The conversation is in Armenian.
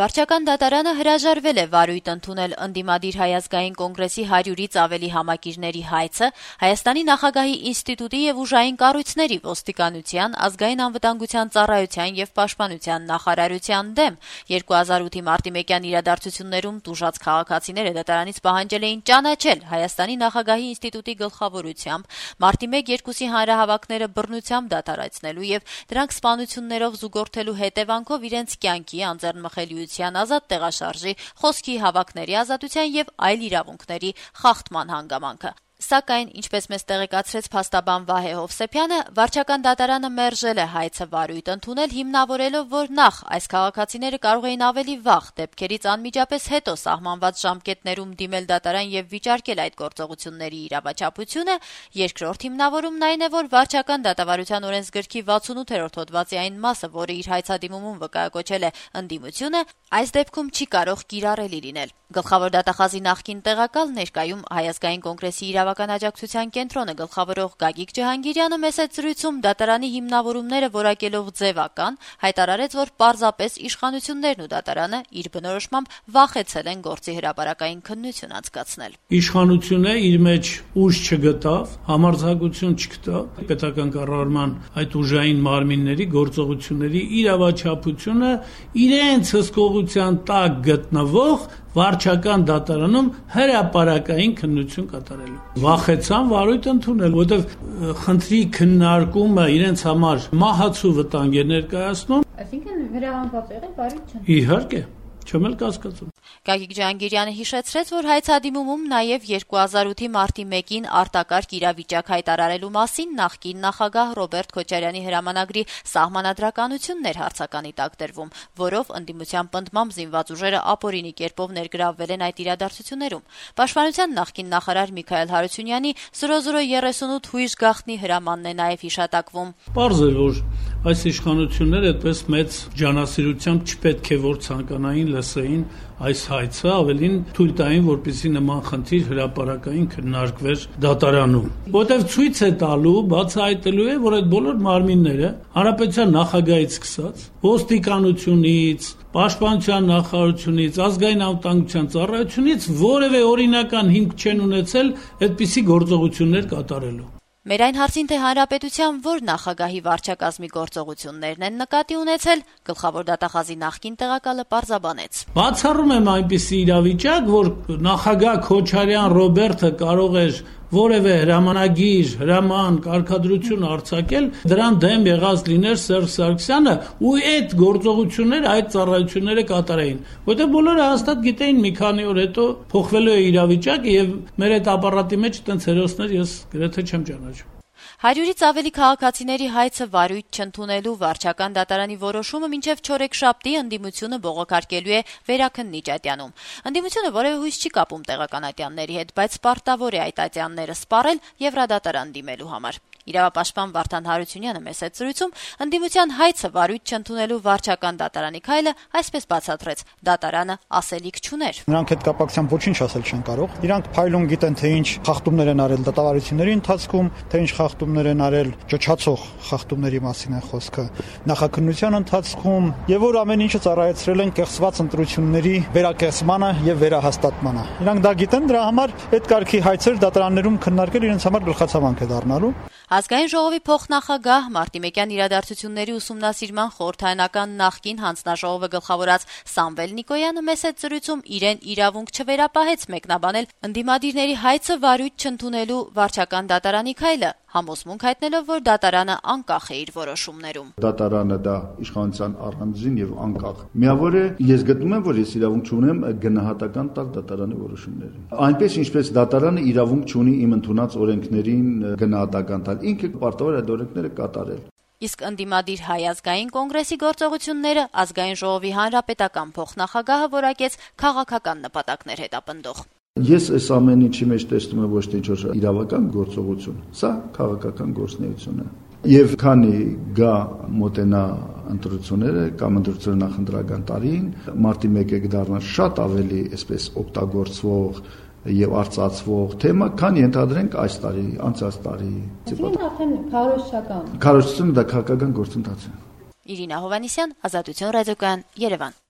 Վարչական դատարանը հրաժարվել է վարույթ ընդունել ընդդիմադիր Հայ ազգային կոնգրեսի 100-ից ավելի համակիրների հայցը Հայաստանի նախագահի ինստիտուտի եւ ուժային կառույցների ոստիկանության, ազգային անվտանգության ծառայության եւ պաշտպանության նախարարության դեմ 2008-ի մարտի 1-յան իրադարձություններում տուժած քաղաքացիները դատարանից պահանջել էին ճանաչել Հայաստանի նախագահի ինստիտուտի գլխավորությամբ մարտի 1-2-ի հանրահավաքները բռնությամբ դադարեցնելու եւ դրանք սպանություններով զուգորդելու հետևանքով իրենց կյանքի անձեռնմխելիության ազատ տեղաշարժի, խոսքի հավաքների ազատության եւ այլ իրավունքների խախտման հանգամանքը։ Սակայն, ինչպես մեզ տեղեկացրեց փաստաբան Վահե Հովսեփյանը, վարչական դատարանը մերժել է հայցը վարույթ ընդունել, հիմնավորելով, որ նախ այս քաղաքացիները կարող էին ավելի վաղ դեպքերից անմիջապես հետո սահմանված ժամկետներում դիմել դատարան եւ վիճարկել այդ գործողությունների իրավաչափությունը, երկրորդ հիմնավորումն այն է, որ վարչական դատավարության օրենսգրքի 68-րդ հոդվածի այն մասը, որը իր հայցադիմումում վկայակոչել է ընդդիմությունը, այս դեպքում չի կարող կիրառելի լինել։ Գլխավոր դատախազի նախկին տեղակալ ներկայում Հայ ազգային կոնգրեսի իրավական աջակցության կենտրոնը գլխավորող Գագիկ Ջհանգիրյանը մեծ զրույցում դատարանի հիմնավորումները որակելով ձևական, հայտարարեց, որ պարզապես իշխանություններն ու դատարանը իր բնորոշմամբ վախեցել են գործի հրապարակային քննություն անցկացնել։ Իշխանությունը իր մեջ ուժ չգտավ, համարձակություն չգտավ պետական կառավարման այդ ուժային մարմինների գործողությունների իրավաչափությունը իրենց հսկողության տակ գտնվող վարչական դատարանում հրապարակային քննություն կատարելու։ Վախեցան վարույթ ընդունել, որովհետև խնդրի քննարկումը իրենց համար մահացու վտանգ է ներկայացնում։ Այսինքն հրահանգված եղել վարույթ չընդունել։ Իհարկե, չեմ էլ կասկածում։ Գագիկ Ջհանգիրյանը հիշեցրեց, որ հայցադիմումում նաև 2008-ի մարտի 1-ին արտակարգ իրավիճակ հայտարարելու մասին նախկին նախագահ Ռոբերտ Քոչարյանի հրամանագրի սահմանադրականությունն էր հարցականի տակ դրվում, որով ընդդիմության պնդմամբ զինված ուժերը ապօրինի կերպով ներգրավվել են այդ իրադարձություններում։ Պաշտպանության նախկին նախարար Միքայել Հարությունյանի 0038 հույժ գաղտնի հրամանն է նաև հիշատակվում։ Պարզ է, որ այս իշխանությունները այդպես մեծ ջանասիրությամբ չպետք է որ ցանկանային լսեին այս հայցը, ավելին թույլ տային, որպեսզի նման խնդիր հրապարակային քննարկվեր դատարանում։ Որտեւ ցույց է տալու, բացահայտելու է, որ այդ բոլոր մարմինները հանրապետության նախագահից սկսած, ոստիկանությունից, պաշտպանության նախարարությունից, ազգային անվտանգության ծառայությունից որևէ օրինական հիմք չեն ունեցել այդպիսի գործողություններ կատարելու։ Մեր այն հարցին, թե հանրապետության որ նախագահի վարչակազմի գործողություններն են նկատի ունեցել, գլխավոր դատախազի նախկին տեղակալը պարզաբանեց։ Բացառում եմ այնպիսի իրավիճակ, որ նախագահ Քոչարյան Ռոբերտը կարող էր որևէ հրամանագիր, հրաման, կարգադրություն արձակել, դրան դեմ եղած լիներ Սերժ Սարգսյանը ու այդ գործողությունները, այդ ծառայությունները կատարեին, որտեղ բոլորը հաստատ գիտեին մի քանի օր հետո փոխվելու է իրավիճակը եւ մեր այդ ապարատի մեջ այդպես հերոսներ ես գրեթե չեմ ճանաչում։ 100-ից ավելի քաղաքացիների հայցը վարույթ չընդունելու վարչական դատարանի որոշումը մինչև չորեքշաբթի ընդդիմությունը բողոքարկելու է Վերաքննիչ ատյանում։ Ընդդիմությունը որևէ հույս չի կապում տեղական ատյանների հետ, բայց պարտավոր է այդ ատյանները սպառել Եվրադատարան դիմելու համար։ Իրավապաշտպան Վարդան Հարությունյանը մեծ զրույցում ընդդիմության հայցը վարույթ չընդունելու վարչական դատարանի քայլը այսպես բացատրեց. դատարանը ասելիք չուներ։ Նրանք այդ կապակցությամբ ոչինչ ասել չեն կարող։ Իրանք փայլուն գիտեն, թե ինչ խախտումներ են արել դատավարությունների ընթացքում, թե ինչ խախտումներ են արել ճճացող խախտումների մասին է խոսքը նախաքննության ընթացքում, եւ որ ամեն ինչը ծառայեցրել են կեղծված ընտրությունների վերակեղծմանը եւ վերահաստատմանը։ Իրանք դա գիտեն, դրա համար այդ կարգի հայցեր դատարաններում քննարկել իրենց համար գլխացավանք է դառնալու։ Ազգային ժողովի փոխնախագահ մարտի 1-յան իրադարձությունների ուսումնասիրման խորհրդարանական նախկին հանձնաժողովը գլխավորած Սամվել Նիկոյանը մեծ զրույցում իրեն իրավունք չվերապահեց մեկնաբանել ընդդիմադիրների հայցը վարույթ չընդունելու վարչական դատարանի քայլը, համոզմունք հայտնելով, որ դատարանը անկախ է իր որոշումներում։ Դատարանը դա իշխանության առանձին եւ անկախ միավոր է, ես գտնում եմ, որ ես իրավունք չունեմ գնահատական տալ դատարանի որոշումներին։ Այնպես ինչպես դատարանը իրավունք չունի իմ ընդունած օրենքներին գնահատական տալ, ինքը պարտավոր է այդ օրենքները կատարել։ Իսկ ընդդիմադիր Հայ ազգային կոնգրեսի գործողությունները ազգային ժողովի հանրապետական փոխնախագահը որակեց քաղաքական նպատակներ հետապնդող։ Ես այս ամեն ինչի մեջ տեսնում եմ ոչ թե ինչ-որ իրավական գործողություն, սա քաղաքական գործունեություն է։ Եվ քանի գա մոտենա ընտրությունները կամ ընտրությունները նախընտրական տարին, մարտի 1-ը կդառնա շատ ավելի այսպես օգտագործվող եւ արծացվող թեմա, քան ենթադրենք այս տարի, անցած տարի։ Այսինքն արդեն քարոզչական։ Քարոզությունը դա քաղաքական գործընթաց է։ Իրինա Հովանեսյան, Ազատություն ռադիոկայան, Երևան։